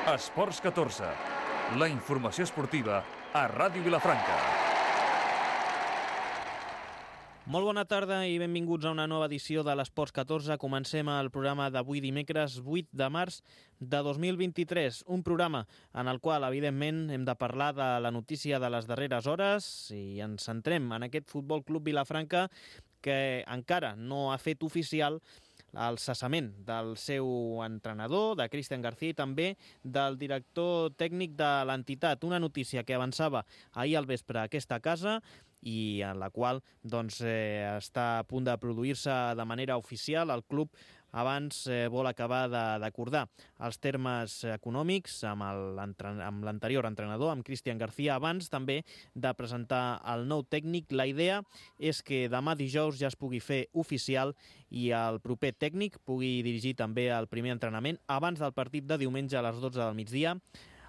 Esports 14, la informació esportiva a Ràdio Vilafranca. Molt bona tarda i benvinguts a una nova edició de l'Esports 14. Comencem el programa d'avui dimecres 8 de març de 2023. Un programa en el qual, evidentment, hem de parlar de la notícia de les darreres hores i ens centrem en aquest Futbol Club Vilafranca que encara no ha fet oficial el cessament del seu entrenador, de Cristian García, i també del director tècnic de l'entitat. Una notícia que avançava ahir al vespre a aquesta casa i en la qual està a punt de produir-se de manera oficial. El club abans vol acabar d'acordar els termes econòmics amb l'anterior entrenador, amb Cristian García, abans també de presentar el nou tècnic. La idea és que demà dijous ja es pugui fer oficial i el proper tècnic pugui dirigir també el primer entrenament abans del partit de diumenge a les 12 del migdia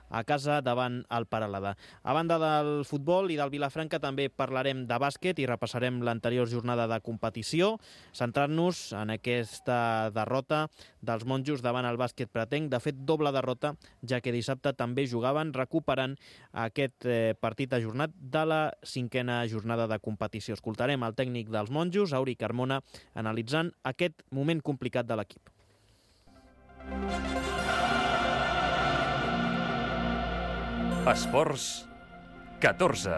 a casa davant el Peralada. A banda del futbol i del Vilafranca també parlarem de bàsquet i repassarem l'anterior jornada de competició, centrant-nos en aquesta derrota dels monjos davant el bàsquet pretenc. De fet, doble derrota, ja que dissabte també jugaven recuperant aquest partit ajornat de la 5a jornada de competició. Escoltarem el tècnic dels monjos, Auri Carmona, analitzant aquest moment complicat de l'equip. Esports 14.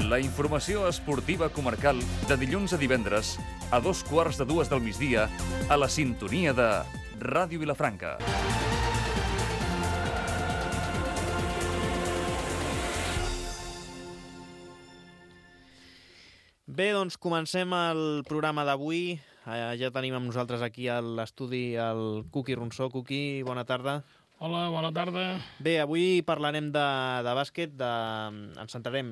La informació esportiva comarcal de dilluns a divendres a 2:15 del migdia a la sintonia de Ràdio Vilafranca. Bé, doncs comencem el programa d'avui. Ja tenim amb nosaltres aquí a l'estudi el Cuqui Ronsó. Cuqui, bona tarda. Hola, bona tarda. Bé, avui parlarem de bàsquet, ens centrarem,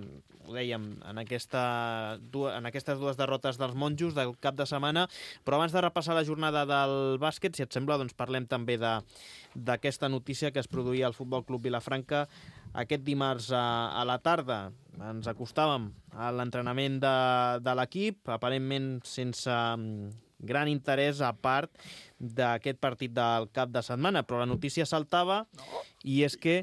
ho dèiem, en aquestes dues derrotes dels monjos del cap de setmana, però abans de repassar la jornada del bàsquet, si et sembla, doncs parlem també d'aquesta notícia que es produïa al Futbol Club Vilafranca aquest dimarts a la tarda. Ens acostàvem a l'entrenament de l'equip, aparentment sense gran interès a part d'aquest partit del cap de setmana, però la notícia saltava i és que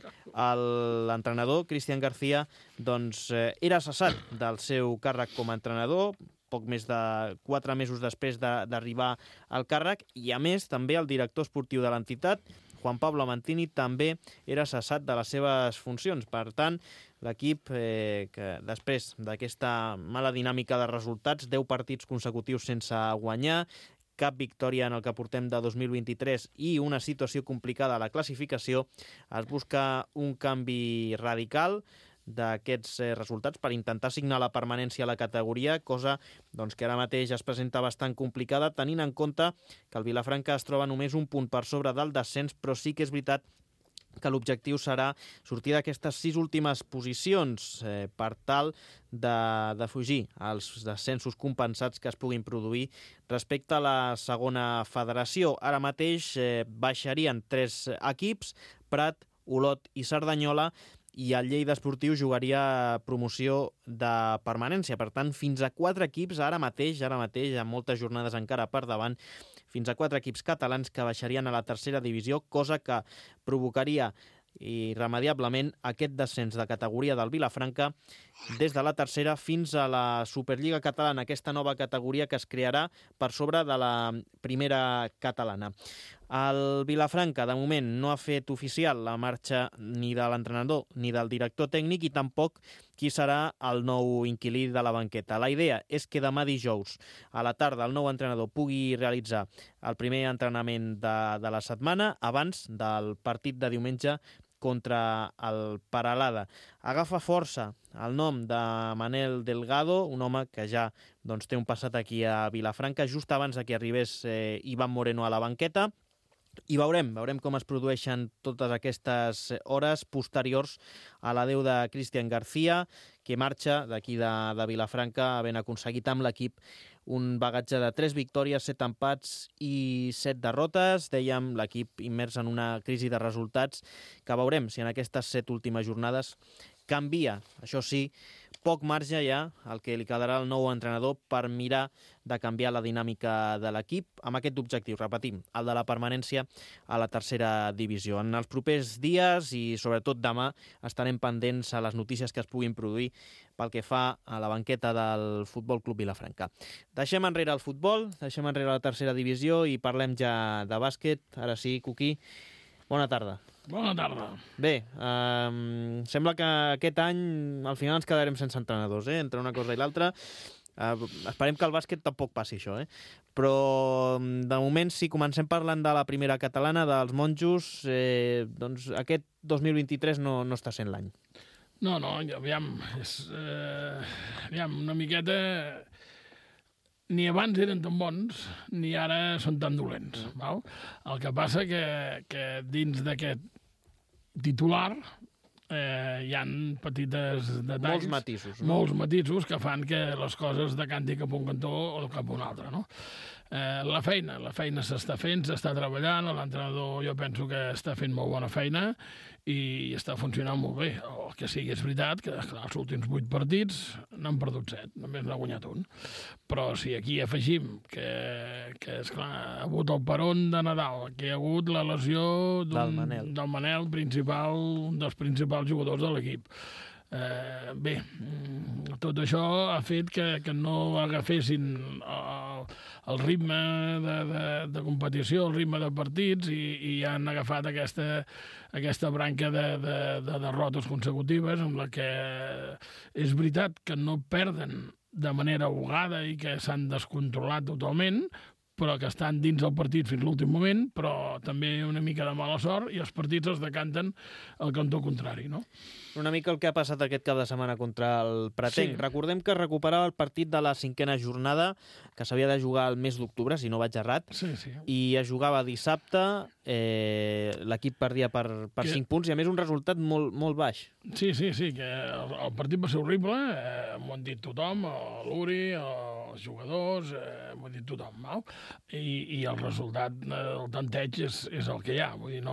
l'entrenador Cristian García era cessat del seu càrrec com a entrenador poc més de 4 mesos després d'arribar al càrrec, i a més també el director esportiu de l'entitat, Juan Pablo Mantini, també era cessat de les seves funcions. Per tant, l'equip, que després d'aquesta mala dinàmica de resultats, 10 partits consecutius sense guanyar, cap victòria en el que portem de 2023 i una situació complicada a la classificació, es busca un canvi radical d'aquests resultats per intentar signar la permanència a la categoria, cosa que ara mateix es presenta bastant complicada, tenint en compte que el Vilafranca es troba només un punt per sobre del descens, però sí que és veritat que l'objectiu serà sortir d'aquestes 6 últimes posicions per tal de fugir als descensos compensats que es puguin produir respecte a la segona federació. Ara mateix baixarien 3 equips, Prat, Olot i Cerdanyola, i el Lleida Esportiu jugaria promoció de permanència. Per tant, fins a 4 equips ara mateix, amb moltes jornades encara per davant, fins a 4 equips catalans que baixarien a la tercera divisió, cosa que provocaria irremediablement aquest descens de categoria del Vilafranca des de la tercera fins a la Superliga Catalana, aquesta nova categoria que es crearà per sobre de la primera catalana. El Vilafranca, de moment, no ha fet oficial la marxa ni de l'entrenador ni del director tècnic i tampoc qui serà el nou inquilí de la banqueta. La idea és que demà dijous a la tarda el nou entrenador pugui realitzar el primer entrenament de la setmana abans del partit de diumenge contra el Peralada. Agafa força el nom de Manel Delgado, un home que ja té un passat aquí a Vilafranca, just abans que arribés Iván Moreno a la banqueta. I veurem com es produeixen totes aquestes hores posteriors a l'adeu de Cristian García, que marxa d'aquí de Vilafranca havent aconseguit amb l'equip un bagatge de 3 victòries, 7 empats i 7 derrotes. Dèiem, l'equip immers en una crisi de resultats que veurem si en aquestes 7 últimes jornades canvia, això sí, poc marge ja el que li quedarà al nou entrenador per mirar de canviar la dinàmica de l'equip amb aquest objectiu, repetim, el de la permanència a la tercera divisió. En els propers dies i sobretot demà estarem pendents a les notícies que es puguin produir pel que fa a la banqueta del Futbol Club Vilafranca. Deixem enrere el futbol, deixem enrere la tercera divisió i parlem ja de bàsquet. Ara sí, Cuquí, bona tarda. Bona tarda. Bé, sembla que aquest any al final ens quedarem sense entrenadors, entre una cosa i l'altra. Esperem que el bàsquet tampoc passi això, però de moment, si comencem parlant de la primera catalana, dels monjos, doncs aquest 2023 no està sent l'any. No, aviam, una miqueta... Ni abans eren tan bons, ni ara són tan dolents. Val? El que passa que dins d'aquest titular hi han petites detalls... Molts matisos que fan que les coses decantin cap a un cantó o cap a un altre, no? La feina s'està fent, s'està treballant, l'entrenador jo penso que està fent molt bona feina i està funcionant molt bé. El que sigui és veritat que clar, els últims 8 partits n'han perdut 7, només n'ha guanyat un. Però si aquí afegim que esclar, ha hagut el peron de Nadal, que hi ha hagut la lesió del Manel, un dels principals jugadors de l'equip. Bé, tot això ha fet que no agafessin el ritme de competició, el ritme de partits i han agafat aquesta branca de derrotes consecutives amb la que és veritat que no perden de manera ahogada i que s'han descontrolat totalment, però que estan dins del partit fins l'últim moment, però també una mica de mala sort i els partits es decanten al cantó contrari, no? Una mica el que ha passat aquest cap de setmana contra el Pretenc. Sí. Recordem que recuperava el partit de la 5a jornada, que s'havia de jugar el mes d'octubre, si no vaig errat, sí. I es jugava dissabte, l'equip perdia per 5 punts, i a més un resultat molt baix. Sí, que el partit va ser horrible, m'ho han dit tothom, l'Uri, els jugadors, m'ho ha dit tothom, no? I el resultat, el tanteig és el que hi ha, vull dir,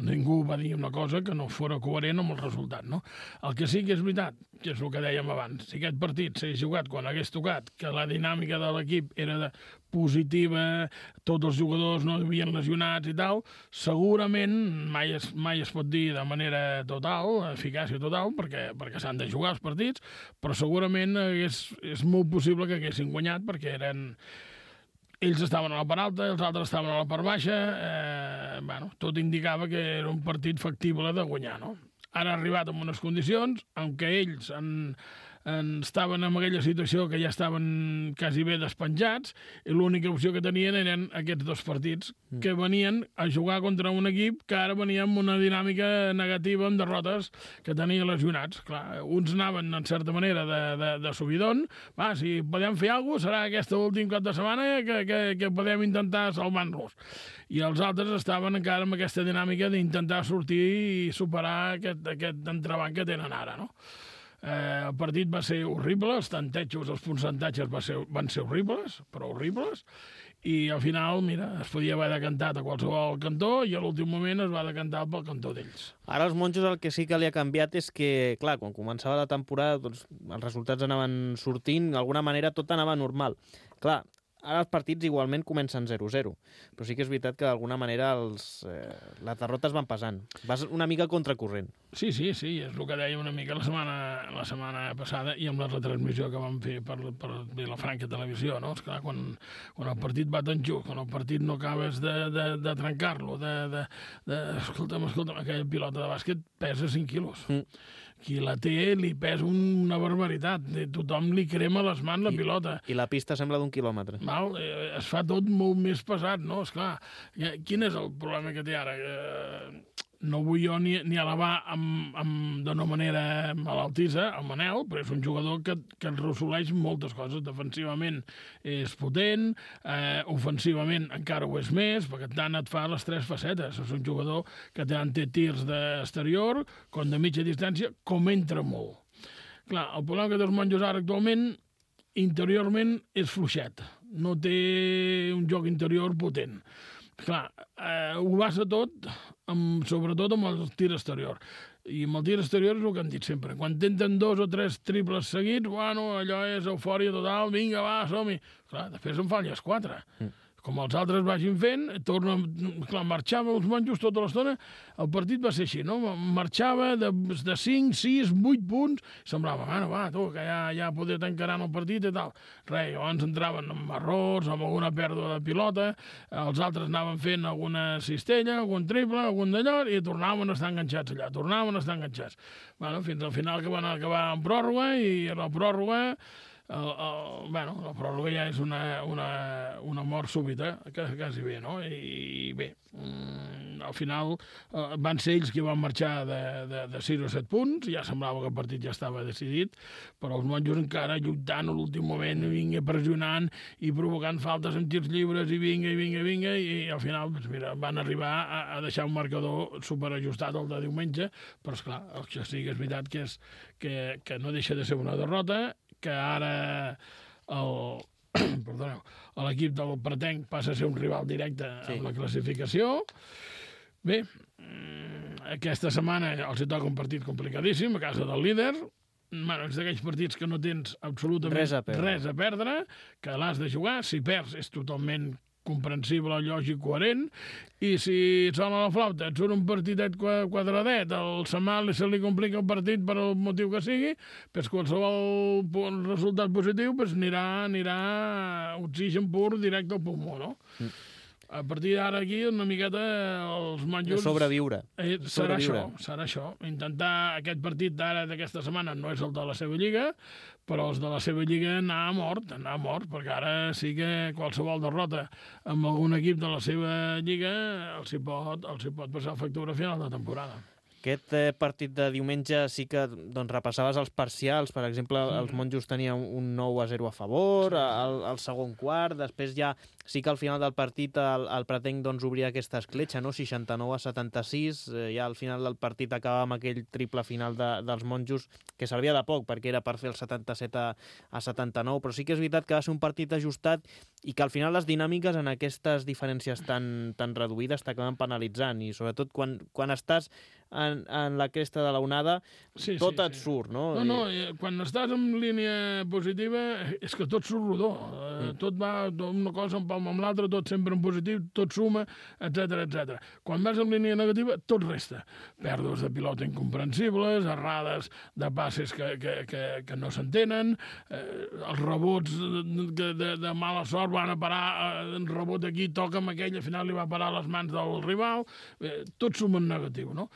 ningú va dir una cosa que no fora coherent amb el resultat. No? El que sí que és veritat, que és el que dèiem abans, si aquest partit s'hagués jugat quan hagués tocat, que la dinàmica de l'equip era positiva, tots els jugadors no havien lesionats i tal, segurament mai es pot dir de manera total, eficàcia total, perquè s'han de jugar els partits, però segurament és molt possible que haguessin guanyat perquè ells estaven a la part alta, els altres estaven a la part baixa, tot indicava que era un partit factible de guanyar, no? Ara ha arribat en unes condicions en què ells estaven en aquella situació que ja estaven quasi bé despenjats i l'única opció que tenien eren aquests 2 partits que venien a jugar contra un equip que ara venia amb una dinàmica negativa amb derrotes que tenia lesionats. Clar, uns anaven en certa manera de subidon, si podem fer alguna cosa serà aquest últim cap de setmana que podem intentar salvar-los. I els altres estaven encara amb aquesta dinàmica d'intentar sortir i superar aquest entrebanc que tenen ara, no? El partit va ser horrible, els tantejos, els percentatges van ser horribles, però horribles, i al final, mira, es podia haver decantat a qualsevol cantó i a l'últim moment es va decantar pel cantó d'ells. Ara els monjos el que sí que li ha canviat és que, clar, quan començava la temporada doncs, els resultats anaven sortint, d'alguna manera tot anava normal. Clar, ara els partits igualment comencen 0-0, però sí que és veritat que d'alguna manera les derrotes van pesant. Vas una mica contracorrent. Sí, és el que dèiem una mica la setmana passada i amb la retransmissió que vam fer per Vilafranca Televisió, no? Esclar, quan el partit va tan just, quan el partit no acabes de trencar-lo, escolta'm, aquella pilota de bàsquet pesa 5 quilos. Qui la té li pesa una barbaritat. Tothom li crema les mans la pilota. I la pista sembla d'1 quilòmetre. Es fa tot molt més pesat, no? Esclar, quin és el problema que té ara? No vull jo ni elevar d'una manera malaltissa el Manel, però és un jugador que resoleix moltes coses. Defensivament és potent, ofensivament encara ho és més, perquè tant et fa les 3 facetes. És un jugador que tant té tirs d'exterior com de mitja distància, com entra molt. Clar, el problema que té els monjos ara actualment, interiorment, és fluixet. No té un joc interior potent. Clar, ho basa tot, sobretot amb el tir exterior. I amb el tir exterior és el que hem dit sempre. Quan tenten 2 o 3 triples seguits, bueno, allò és eufòria total, vinga, va, som-hi. Clar, després en falles 4. Com els altres vagin fent, clar, marxava els monjos tota l'estona, el partit va ser així, no? Marxava de 5, 6, 8 punts, semblava, bueno, va, tu, que ja poder encarant el partit i tal. Res, llavors entraven amb errors, amb alguna pèrdua de pilota, els altres anaven fent alguna cistella, algun triple, algun d'allò, i tornaven a estar enganxats allà, Bueno, fins al final que van acabar en pròrroga, i la pròrroga... la pròrroga ja és una mort súbita, quasi bé, no? I bé, al final van ser ells qui van marxar de 6 o 7 punts, ja semblava que el partit ja estava decidit, però els monjos encara lluitant a l'últim moment, vinga pressionant i provocant faltes amb tirs lliures i vinga, i al final doncs mira, van arribar a deixar un marcador superajustat el de diumenge, però esclar, el que sí que és veritat que no deixa de ser una derrota, que ara l'equip del Pretenc passa a ser un rival directe amb la classificació. Bé, aquesta setmana els hi toca un partit complicadíssim a casa del líder. Bueno, és d'aquells partits que no tens absolutament res a perdre, que l'has de jugar. Si perds és totalment comprensible, lògic, coherent, i si sona la flauta, et surt un partitet quadradet, al Samal se li complica el partit per el motiu que sigui, doncs qualsevol resultat positiu anirà oxigen pur directe al pulmó, no? A partir d'ara aquí, una miqueta, els monjos... Sobreviure. Serà això. Intentar aquest partit d'ara d'aquesta setmana no és el de la seva lliga, però els de la seva lliga anar a mort, perquè ara sí que qualsevol derrota amb algun equip de la seva lliga els hi pot passar factura a final de temporada. Aquest partit de diumenge sí que repassaves els parcials. Per exemple, els monjos tenien un 9-0 a favor, al segon quart. Després ja sí que al final del partit el Pretenc obria aquesta escletxa, no? 69-76. Ja al final del partit acaba amb aquell triple final dels monjos, que servia de poc, perquè era per fer el 77-79. Però sí que és veritat que va ser un partit ajustat i que al final les dinàmiques en aquestes diferències tan reduïdes t'acaben penalitzant. I sobretot quan estàs en la cresta de l'onada, tot et surt, no? No, quan estàs en línia positiva és que tot surt rodó. Tot va una cosa en palma amb l'altra, tot sempre en positiu, tot suma, etc. Quan vas en línia negativa, tot resta. Pèrdues de pilota incomprensibles, errades de passes que no s'entenen, els rebots de mala sort van a parar, un rebot aquí, toca amb aquell, al final li va parar a les mans del rival, tot suma en negatiu, no?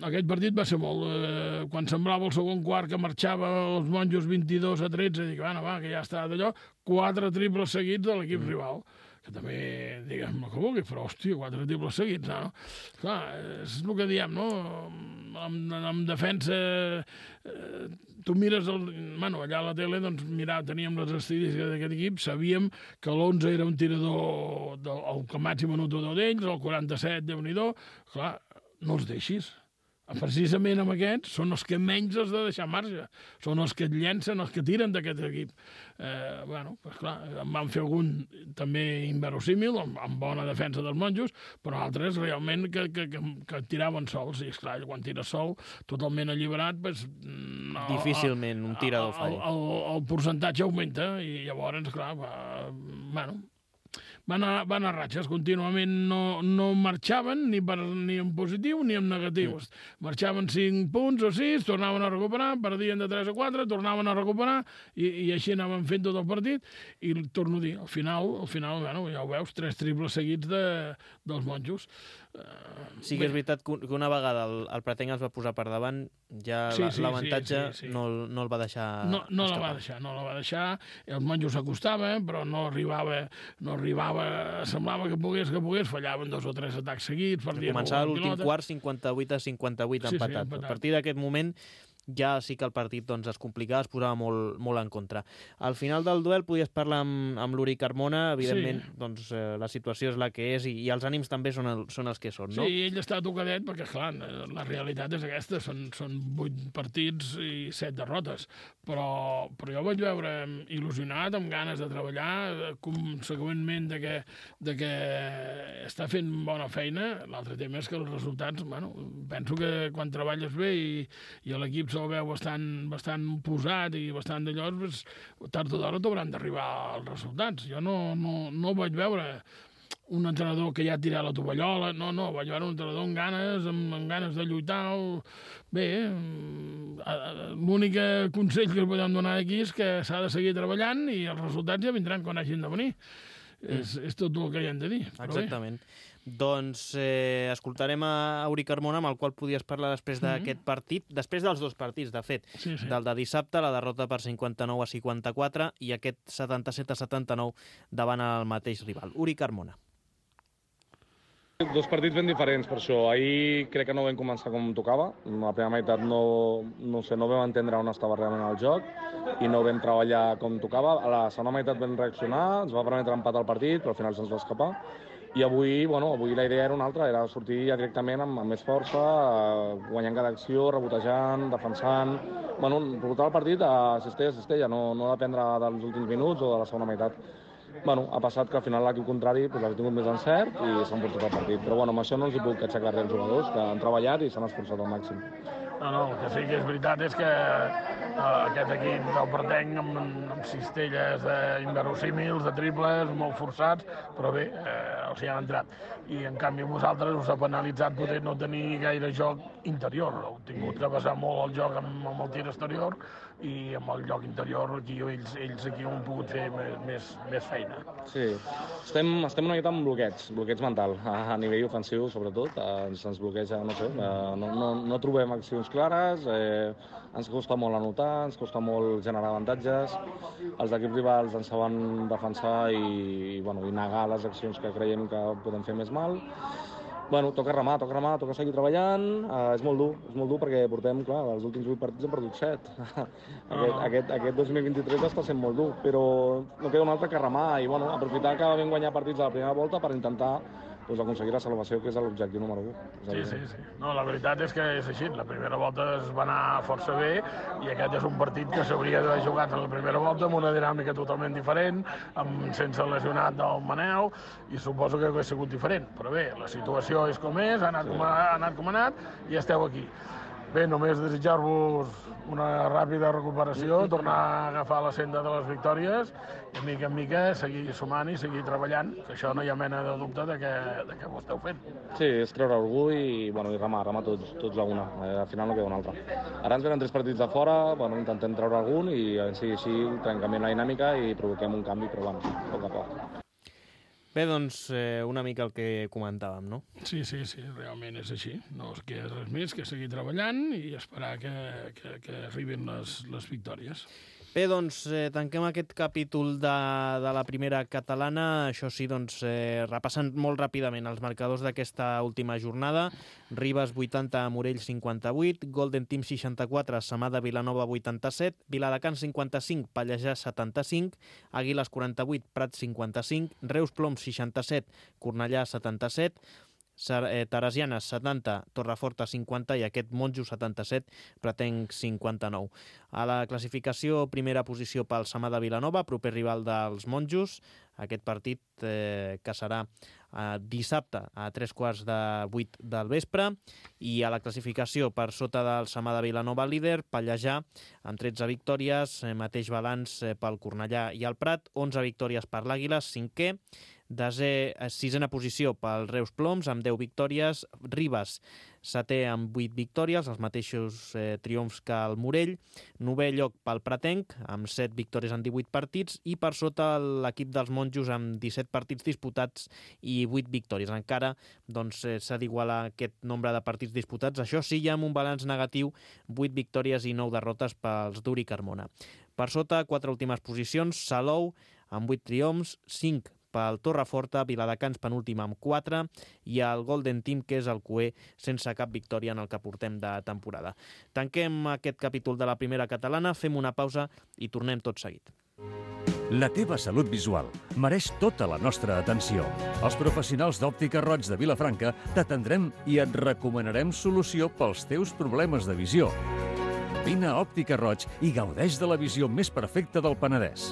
Aquest partit va ser molt... Quan semblava el segon quart que marxava els monjos 22-13, dic, que ja està d'allò, 4 triples seguits de l'equip rival. Que també, diguem, el que vulgui, però, hòstia, 4 triples seguits, no? Clar, és el que diem, no? En defensa, tu mires... allà a la tele, doncs, teníem les estadístiques d'aquest equip, sabíem que l'11 era un tirador, el màxim anotador d'ells, el 47, Déu-n'hi-do, clar, no els deixis. Precisament amb aquests són els que menys has de deixar marge. Són els que et llencen, els que tiren d'aquest equip. Clar, en van fer algun també inverosímil, amb bona defensa dels monjos, però altres realment que tiraven sols. I esclar, quan tires sol, totalment alliberat, difícilment un tirador falli. El percentatge augmenta i llavors, clar, van a ratxes, contínuament no marxaven ni en positiu ni en negatiu. Marxaven 5 punts o 6, tornaven a recuperar, perdien de 3 a 4, tornaven a recuperar i així anaven fent tot el partit. I torno a dir, al final, ja ho veus, 3 triples seguits dels monjos. Sí que és veritat que una vegada el Pretenc es va posar per davant, ja l'avantatge no el va deixar no la va deixar, els monjos s'acostaven, però no arribava, semblava que pogués, fallaven 2 o 3 atacs seguits, perdien començava l'últim quart 58-58 empatat. A partir d'aquest moment ja sí que el partit doncs, es complicava, es posava molt en contra. Al final del duel podies parlar amb l'Uri Carmona, evidentment doncs, la situació és la que és i els ànims també són els que són, no? Sí, ell està tocadet perquè, clar, la realitat és aquesta, són 8 partits i 7 derrotes, però jo vaig veure il·lusionat, amb ganes de treballar, conseqüentment de que està fent bona feina. L'altre tema és que els resultats, bueno, penso que quan treballes bé i l'equip se'l veu bastant posat i bastant d'allò, doncs, tard o d'hora t'hauran d'arribar els resultats. Jo no vaig veure un entrenador que ja ha tirat la tovallola, no, vaig veure un entrenador amb ganes de lluitar. Bé, l'únic consell que podem donar aquí és que s'ha de seguir treballant i els resultats ja vindran quan hagin de venir. És tot el que hi hem de dir. Exactament. Doncs escoltarem a Uri Carmona, amb el qual podies parlar després d'aquest partit, després dels 2 partits, de fet, del de dissabte, la derrota per 59-54 i aquest 77-79 davant el mateix rival. Uri Carmona. 2 partits ben diferents, per això. Ahir crec que no vam començar com tocava. La primera meitat no vam entendre on estava realment el joc i no vam treballar com tocava. A la segona meitat vam reaccionar, ens va permetre empatar el partit, però al final se'ns va escapar. I avui la idea era una altra, era sortir ja directament amb més força, guanyant cada acció, rebotejant, defensant. Rebotar el partit a cistella, no dependre dels últims minuts o de la segona meitat. Ha passat que al final l'equip contrari ha tingut més encert i s'han portat el partit. Però amb això no els hi puc aixecar res als jugadors, que han treballat i s'han esforçat al màxim. No, el que sí que és veritat és que aquest equip del Pretenc amb cistelles inverosímils, de triples, molt forçats, però bé, els hi han entrat. I en canvi vosaltres us ha penalitzat poder no tenir gaire joc interior. Heu tingut que basar molt el joc amb el tir exterior i amb el joc interior aquí ells aquí han pogut fer més feina. Sí, estem una mica amb bloqueig mental, a nivell ofensiu sobretot, ens bloqueja, no trobem accions clares, ens costa molt anotar, ens costa molt generar avantatges, els equips rivals ens saben defensar i negar les accions que creiem que podem fer més mal. Toca remar, toca seguir treballant. És molt dur perquè portem, clar, els últims 8 partits hem perdut 7. Aquest 2023 està sent molt dur, però no queda un altre que remar i aprofitar que vam guanyar partits a la primera volta per intentar aconseguir la salvació, que és l'objectiu número 1. Sí. No, la veritat és que és així. La primera volta es va anar força bé i aquest és un partit que s'hauria d'haver jugat en la primera volta amb una dinàmica totalment diferent, sense el lesionat del Manel, i suposo que hauria sigut diferent. Però bé, la situació és com és, ha anat com ha anat i esteu aquí. Bé, només desitjar-vos una ràpida recuperació, tornar a agafar la senda de les victòries i, de mica en mica, seguir sumant i seguir treballant, que això no hi ha mena de dubte de que ho esteu fent. Sí, és treure orgull i remar tots a una. Al final no queda una altra. Ara ens venen 3 partits de fora, intentem treure algun i així trencament la dinàmica i provoquem un canvi, però a poc a poc. Bé, doncs, una mica el que comentàvem, no? Sí, realment és així. No es queda res més que seguir treballant i esperar que arribin les victòries. Bé, doncs, tanquem aquest capítol de la primera catalana. Això sí, doncs, repassant molt ràpidament els marcadors d'aquesta última jornada. Ribes 80, Morell 58, Golden Team 64, Samada Vilanova 87, Viladecans 55, Pallejà 75, Àguiles 48, Prat 55, Reus Ploms 67, Cornellà 77, Teresianes 70, Torreforta 50 i aquest Monjos 77, Pretenc 59. A la classificació, primera posició pel Samada Vilanova, proper rival dels Monjos. Aquest partit que serà dissabte a 7:45 del vespre. I a la classificació, per sota del Samada Vilanova líder, Pallejà amb 13 victòries, mateix balanç pel Cornellà i el Prat, 11 victòries per l'Àguiles, 5è. Sisena posició pel Reus Ploms amb 10 victòries, Ribes 7è amb 8 victòries, els mateixos triomfs que el Morell, 9è lloc pel Pretenc amb 7 victòries en 18 partits i per sota l'equip dels Monjos amb 17 partits disputats i 8 victòries. Encara s'ha d'igualar aquest nombre de partits disputats, això sí, ja amb un balanç negatiu, 8 victòries i 9 derrotes pels d'Uri Carmona. Per sota, 4 últimes posicions, Salou amb 8 triomfs, 5 pel Torreforta, Viladecans penúltim amb 4 i el Golden Team, que és el cuer, sense cap victòria en el que portem de temporada. Tanquem aquest capítol de la primera catalana, fem una pausa i tornem tot seguit. La teva salut visual mereix tota la nostra atenció. Els professionals d'Òptica Roig de Vilafranca t'atendrem i et recomanarem solució pels teus problemes de visió. Vine a Òptica Roig i gaudeix de la visió més perfecta del Penedès.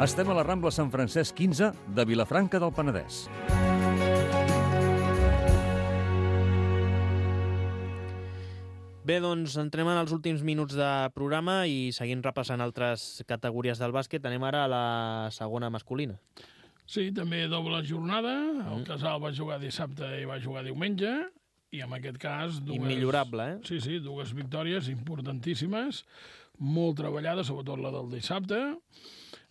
Estem a la Rambla Sant Francesc 15 de Vilafranca del Penedès. Bé, doncs entrem en els últims minuts de programa i seguint repassant altres categories del bàsquet, anem ara a la segona masculina. Sí, també doble jornada. El Casal va jugar dissabte i va jugar diumenge. I en aquest cas... Immillorable, eh? Sí, sí, dues victòries importantíssimes, molt treballades, sobretot la del dissabte.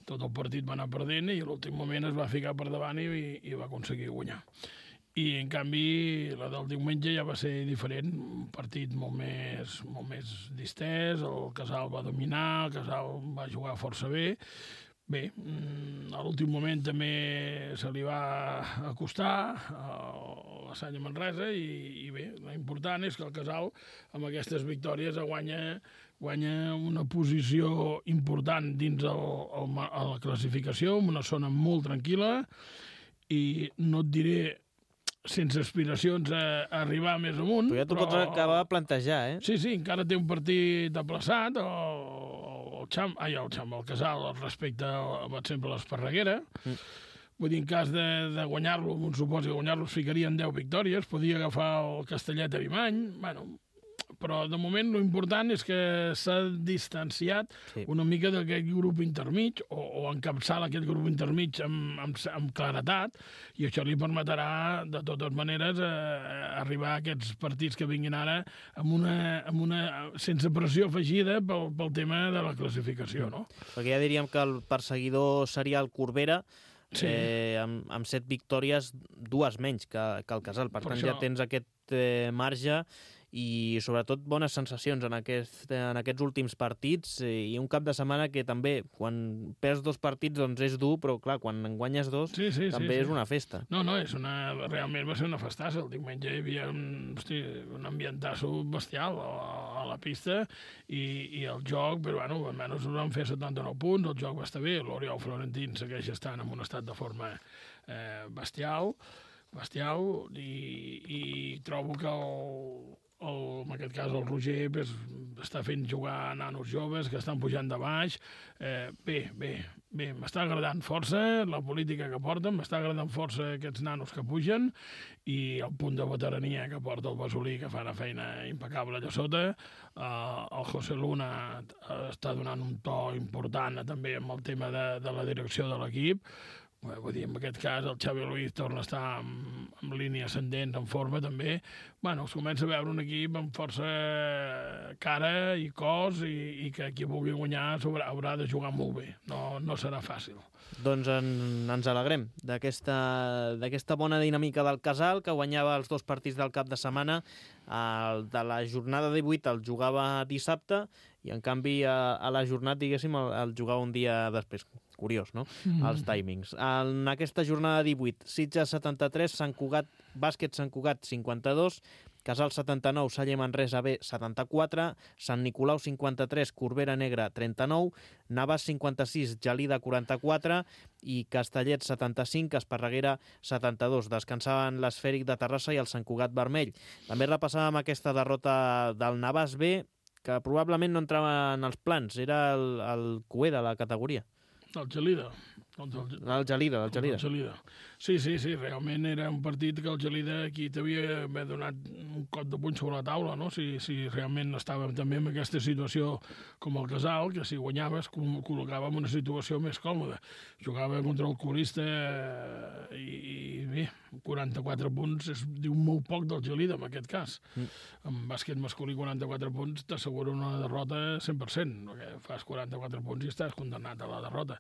Tot el partit va anar perdent i a l'últim moment es va ficar per davant i va aconseguir guanyar. I, en canvi, la del diumenge ja va ser diferent, un partit molt més distès, el Casal va dominar, el Casal va jugar força bé. Bé, a l'últim moment també se li va acostar la Sanya Manresa i bé, l'important és que el Casal amb aquestes victòries guanya una posició important dins la classificació, en una zona molt tranquil·la i no et diré sense aspiracions a arribar més amunt. Però ja t'ho pots acabar de plantejar, eh? Sí, encara té un partit aplaçat, el Casal respecte per exemple a l'Esparreguera. Vull dir, en cas de guanyar-lo, un supòsit de guanyar-lo, es ficarien 10 victòries, podia agafar el Castellet a Arimany, però de moment l'important és que s'ha distanciat una mica d'aquest grup intermig o encapçala aquest grup intermig amb claretat i això li permetrà de totes maneres arribar a aquests partits que vinguin ara amb una sense pressió afegida pel tema de la classificació, no? Perquè ja diríem que el perseguidor seria el Corbera, sí. Amb 7 victòries, 2 menys que el Casal. Per tant, ja tens aquest marge i sobretot bones sensacions en aquests últims partits i un cap de setmana que també, quan perds 2 partits, doncs és dur, però clar, quan en guanyes 2 també és una festa. No, realment va ser una festassa. El diumenge hi havia un ambientasso bestial a la pista i el joc, però almenys van fer 79 punts, el joc va estar bé, l'Oriol Florentín segueix estant en un estat de forma bestial i trobo que en aquest cas el Roger està fent jugar nanos joves que estan pujant de baix. Bé, m'està agradant força la política que porten, m'està agradant força aquests nanos que pugen i el punt de veterania que porta el Basolí, que fa una feina impecable allà sota. El José Luna està donant un to important també amb el tema de la direcció de l'equip. Vull dir, en aquest cas el Xavi Luis torna a estar en línia ascendent, en forma també. Es comença a veure un equip amb força cara i cos i que qui vulgui guanyar haurà de jugar molt bé. No serà fàcil. Doncs ens alegrem d'aquesta bona dinàmica del Casal, que guanyava els 2 partits del cap de setmana. El de la jornada 18 el jugava dissabte i, en canvi, a la jornada, diguéssim, el jugava un dia després. Curiós, no? Els timings. En aquesta jornada 18, Sitges 73, Bàsquet Sant Cugat 52, Casal 79, Salle Manresa B 74, Sant Nicolau 53, Corbera Negra 39, Navàs 56, Gelida 44 i Castellet 75, Esparreguera 72. Descansaven l'Esfèric de Terrassa i el Sant Cugat Vermell. També repassàvem aquesta derrota del Navàs B, que probablement no entrava en els plans, era el cuer de la categoria. El Gelida. El Gelida. Sí, realment era un partit que el Gelida aquí t'havia donat un cop de puny sobre la taula, no? Si realment estàvem també en aquesta situació com el Casal, que si guanyaves col·locava en una situació més còmoda. Jugava contra el colista i bé, 44 punts diu molt poc del Gelida en aquest cas. En bàsquet masculí 44 punts t'assegura una derrota 100%, perquè fas 44 punts i estàs condemnat a la derrota.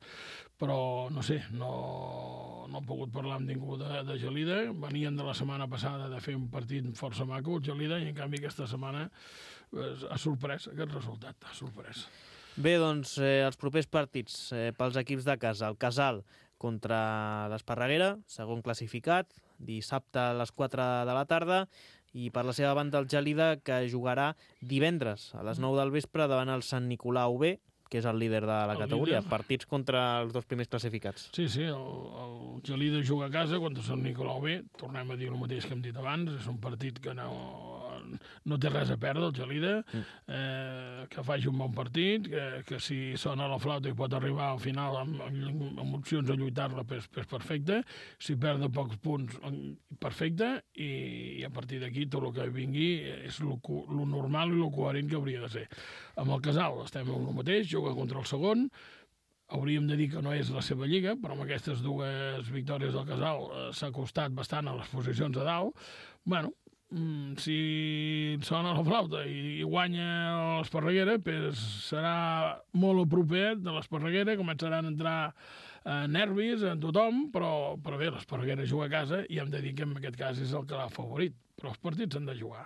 Però no sé, no he pogut parlar amb ningú de Gelida. Venien de la setmana passada de fer un partit força maco, el Gelida, i en canvi aquesta setmana ha sorprès aquest resultat, ha sorprès. Bé, doncs els propers partits pels equips de casa. El Casal contra l'Esparreguera, segon classificat, dissabte a les 4 de la tarda, i per la seva banda el Gelida, que jugarà divendres a les 9 del vespre davant el Sant Nicolau B, que és el líder de la categoria. Partits contra els dos primers classificats. Sí, el Gelida juga a casa contra Sant Nicolau B. Tornem a dir el mateix que hem dit abans. És un partit que no té res a perdre, el Gelida. Que faci un bon partit, que si sona la flauta i pot arribar al final amb opcions a lluitar-la, és perfecte. Si perd de pocs punts, perfecte. I a partir d'aquí tot el que vingui és el normal i el coherent que hauria de ser. Amb el Casal estem en el mateix, juga contra el segon. Hauríem de dir que no és la seva lliga, però amb aquestes dues victòries del Casal s'ha costat bastant a les posicions de dalt. Bueno, si sona la flauta i guanya l'Esparreguera, serà molt a propet de l'Esparreguera, començaran a entrar nervis en tothom, però bé, l'Esparreguera juga a casa i hem de dir que en aquest cas és el que l'ha favorit, però els partits s'han de jugar.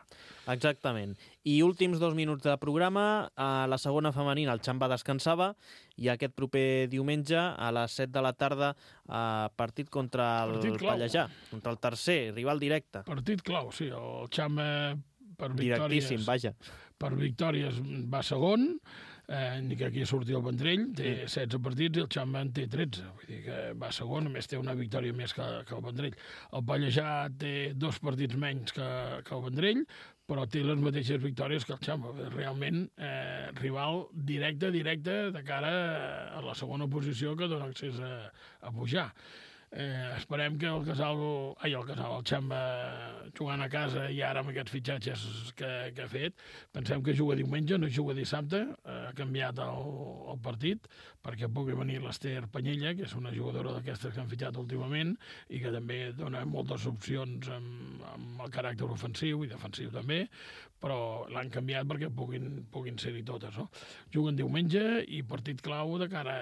Exactament. I últims 2 minuts de programa, a la segona femenina el Xamba descansava i aquest proper diumenge a les 7 de la tarda partit contra el Pallejà, contra el tercer, rival directe. Partit clau, sí. El Xamba per directíssim, vaja. Per victòries va segon, ni que aquí surti el Vendrell, té 16 partits i el Xamba en té 13, vull dir que va segon, a més té una victòria més que el Vendrell. El Pallejà té 2 partits menys que el Vendrell, però té les mateixes victòries que el Xamba. Realment, rival directe de cara a la segona posició que dona accés a pujar. Esperem que el Xamba jugant a casa i ara amb aquests fitxatges que ha fet, pensem que juga diumenge, no juga dissabte, ha canviat el partit perquè pugui venir l'Ester Panyella, que és una jugadora d'aquestes que han fitxat últimament i que també dona moltes opcions amb el caràcter ofensiu i defensiu també, però l'han canviat perquè puguin ser-hi totes, no? Juguen diumenge i partit clau de cara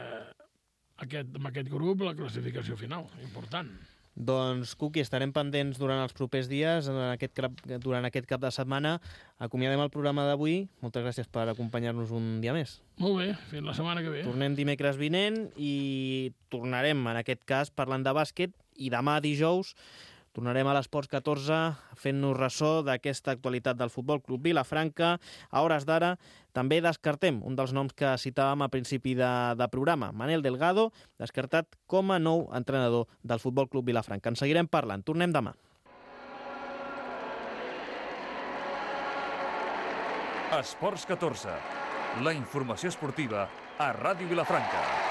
amb aquest grup, la classificació final, important. Doncs, Cuqui, estarem pendents durant els propers dies, durant aquest cap de setmana. Acomiadem el programa d'avui. Moltes gràcies per acompanyar-nos un dia més. Molt bé, fins la setmana que ve. Tornem dimecres vinent i tornarem, en aquest cas, parlant de bàsquet, i demà dijous tornarem a l'Esports 14 fent-nos ressò d'aquesta actualitat del Futbol Club Vilafranca. A hores d'ara també descartem un dels noms que citàvem a principi de programa, Manel Delgado, descartat com a nou entrenador del Futbol Club Vilafranca. En seguirem parlant. Tornem demà. Esports 14, la informació esportiva a Ràdio Vilafranca.